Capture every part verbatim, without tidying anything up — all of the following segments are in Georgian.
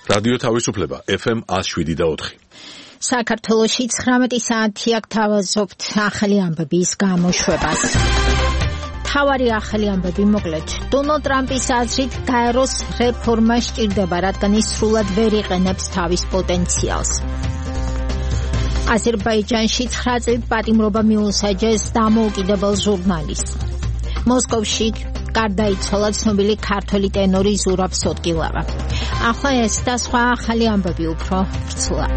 რადიო თავისუფლება ეფ ემ one oh seven point four. საქართველოში ცხრამეტი საათი აქ თავაზობთ ახალი ამბების გამოშვებას. თავარი ახალი ამბები მოკლედ. დონალდ ტრამპის აზრით გაეროს რეფორმა სჭირდება, რადგან ის სრულად ვერ იყენებს თავის პოტენციალს. აზერბაიჯანში ცხრა წლით პატიმრობა მიუსაჯეს დამოუკიდებელ ჟურნალისტს. მოსკოვში გარდაიცვალა ცნობილი ქართველი ტენორი ზურაბ სოტკილავა. ახლა ეს და სხვა ახალი ამბები უფრო ვრცლად.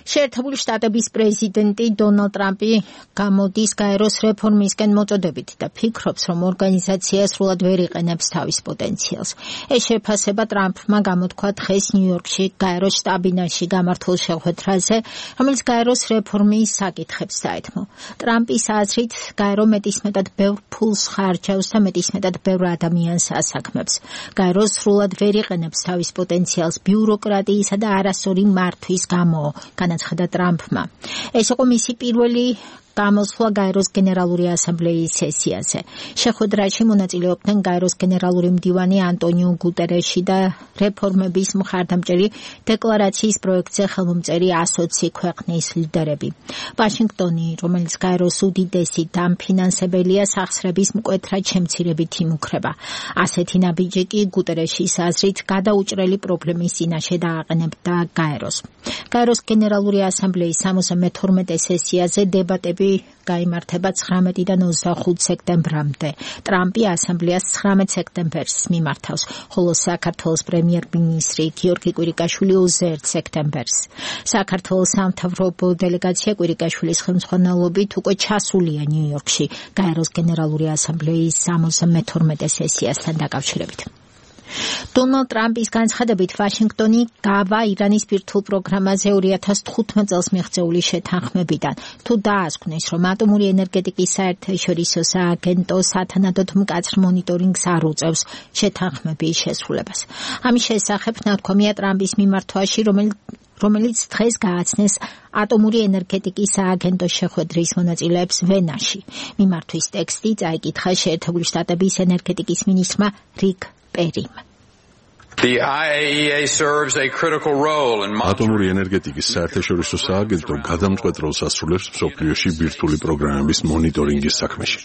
შეერთებული შტატების პრეზიდენტი დონალდ ტრამპი გამოდის გაეროს რეფორმისკენ მოწოდებით და ფიქრობს, რომ ორგანიზაცია სრულად ვერ იყენებს თავის პოტენციალს. ეს შეფასება ტრამპმა გამოთქვა დღეს ნიუ-იორკში გაეროს შტაბ-ბინაში გამართულ შეხვედრაზე, რომელიც გაეროს რეფორმის საკითხებს დაეთმო. ტრამპის აზრით, გაერო მეტისმეტად ბევრ ფულს ხარჯავს და მეტისმეტად ბევრ ადამიანს ასაქმებს. გაერო სრულად ვერ იყენებს თავის პოტენციალს ბიუროკრატიისა და არასწორი მართვის გამო. განაცხადა ტრამპმა. ეს იყო მისი პირველი გამოსვლა გაეროს გენერალური ასამბლეის სესიაზე. შეხვედრაში მონაწილეობდნენ გაეროს გენერალური მდივანი ანტონიო გუტერეში და რეფორმების მხარდამჭერი დეკლარაციის პროექტზე ხელმომწერი ასოცი ქვეყნის ლიდერები. ვაშინგტონი, რომელიც გაეროს უდიდესი დამფინანსებელია, სახსრების მკვეთრად შემცირებით იმუქრება. ასეთი ნაბიჯი კი გუტერეშის აზრით გადაუჭრელი პრობლემის წინაშე დააყენებდა გაეროს. გაეროს გენერალური ასამბლეის სამოცდამეთორმეტე სესიაზე დებატები გაიმართება ცხრამეტიდან ოცდახუთ სექტემბრამდე. ტრამპი ასამბლეას ცხრამეტ სექტემბერს მიმართავს, ხოლო საქართველოს პრემიერ-მინისტრი გიორგი კვირიკაშვილი ოცდაერთ სექტემბერს. საქართველოს სამთავრობო დელეგაცია კვირიკაშვილის ხელმძღვანელობით უკვე ჩასულია ნიუ-იორკში გაეროს გენერალური ასამბლეის სამოცდამეთორმეტე სესიასთან დაკავშირებით. დონალდ ტრამპის განცხადებით ვაშინგტონი გავა ირანის ბირთვულ პროგრამაზე ორი ათას თხუთმეტ წელს მიღწეული შეთანხმებიდან. თუ დაასკვნეს, რომ ატომური ენერგეტიკის საერთაშორისო სააგენტო სათანადოდ მკაცრ მონიტორინგს არ უწევს შეთანხმების შესრულებას. ამის შესახებ ნათქვამია ტრამპის მიმართვაში, რომელიც რომელიც დღეს გააცნეს ატომური ენერგეტიკის სააგენტოს შეხვედრის მონაწილეებს ვენაში. მიმართვის ტექსტი წაიკითხა შეერთებული შტატების ენერგეტიკის მინისტრმა რიკ პერიმ. The I A E A serves a critical role in ატომური ენერგეტიკის საერთაშორისო სააგენტო გადამწყვეტ როლს ასრულებს მსოფლიოში ბირთვული პროგრამების მონიტორინგის საქმეში.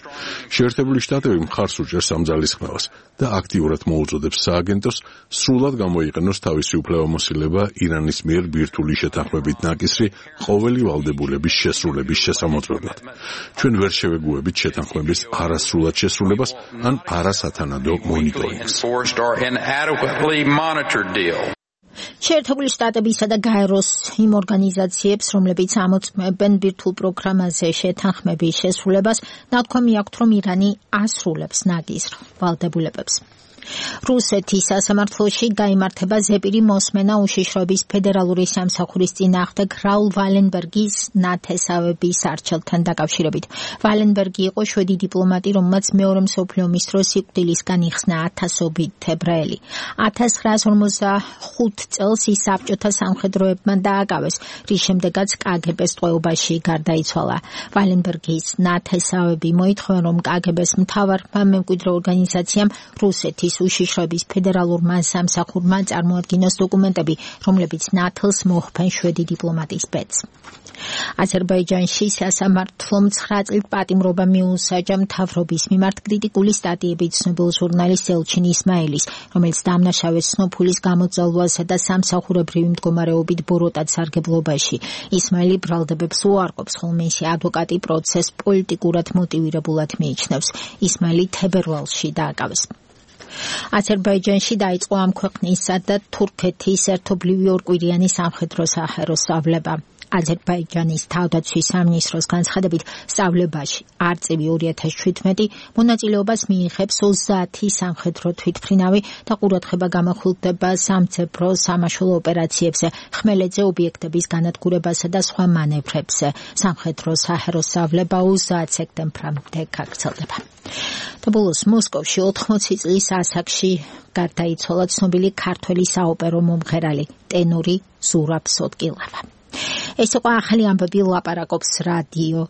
შეერთებული შტატები მხარს უჭერს ამ ძალისხმევას და აქტიურად მოუწოდებს სააგენტოს სრულად გამოიყენოს თავისი უფლებამოსილება ირანის მიერ ბირთვული შეთანხმებით ნაკისრი ყოველი ვალდებულების შესრულების შესამოწმებლად. ჩვენ ვერ შევეგუებით შეთანხმების არასრულად შესრულებას ან არასათანადო მონიტორინგს. monitored deal. შეერთებული შტატებისა და გაეროს იმ ორგანიზაციებს, რომლებიც ამოწმებენ ბირთვულ პროგრამაზე შეთანხმების შესრულებას, ნათქვამი აქვთ, რომ ირანი ასრულებს ნაკისრ ვალდებულებებს. რუსეთის სასამართლოში გაიმართება ზეპირი მოსმენა უშიშროების ფედერალური სამსახურის წინააღმდეგ რაულ ვალენბერგის ნათესავების არჩევთან დაკავშირებით. ვალენბერგი იყო შვედი დიპლომატი, რომელმაც მეორე მსოფლიო ომის დროს სიკვდილისგან იხსნა ათასობით ებრაელი. ათას ცხრაას ორმოცდახუთ წელს ის საბჭოთა სამხედროებმა დააკავეს, რის შემდეგაც კა გე ბეს ტყვეობაში გარდაიცვალა. ვალენბერგის ნათესავები მოითხოვენ, რომ კა გე ბეს მთავარმა მემკვიდრე ორგანიზაციამ რუსეთის უშიშროების ფედერალურმა სამსახურმა წარმოადგინოს დოკუმენტები, რომლებიც ნათლს მოჰფენ შვედი დიპლომატის ბედს. აზერბაიჯანში სასამართლომ ცხრა წლით პატიმრობა მიუსაჯა მთავრობის მიმართ კრიტიკული სტატიებით ცნობილ ჟურნალისტ ელჩინ ისმაილის, რომელიც დამნაშავეს სნოფულის გამოძალვასა და სამსახურებრივი მდგომარეობით ბოროტად სარგებლობაში. ისმაილი ბრალდებებს უარყოფს, ხოლო მისი ადვოკატი პროცესს პოლიტიკურად მოტივირებულად მიიჩნევს. ისმაილი თებერვალში დააკავეს. აზერბაიჯანში დაიწყო ამ ქვეყნისა და თურქეთის ერთობლივი ორკვირიანი სამხედრო საჰაერო სწავლება. აზერბაიჯანის თავდაცვის სამინისტროს განცხადებით, სწავლებაში არწივი ორი ათას შვიდმეტი მონაწილეობას მიიღებს ოცდაათი სამხედრო თვითმფრინავი და ყურადღება გამახვილდება სამძებრო სამაშველო ოპერაციებზე, ხმელეთზე ობიექტების განადგურებასა და სხვა მანევრებზე. სამხედრო საჰაერო სწავლება ოცდაათ სექტემბრამდე გაგრძელდება. და ბოლოს მოსკოვში ოთხმოცი წლის ასაკში გარდაიცვალა ცნობილი ქართველი საოპერო მომღერალი ტენორი ზურაბ სოტკილავა. ეს იყო ახალი ამბები, ლაპარაკობს რადიო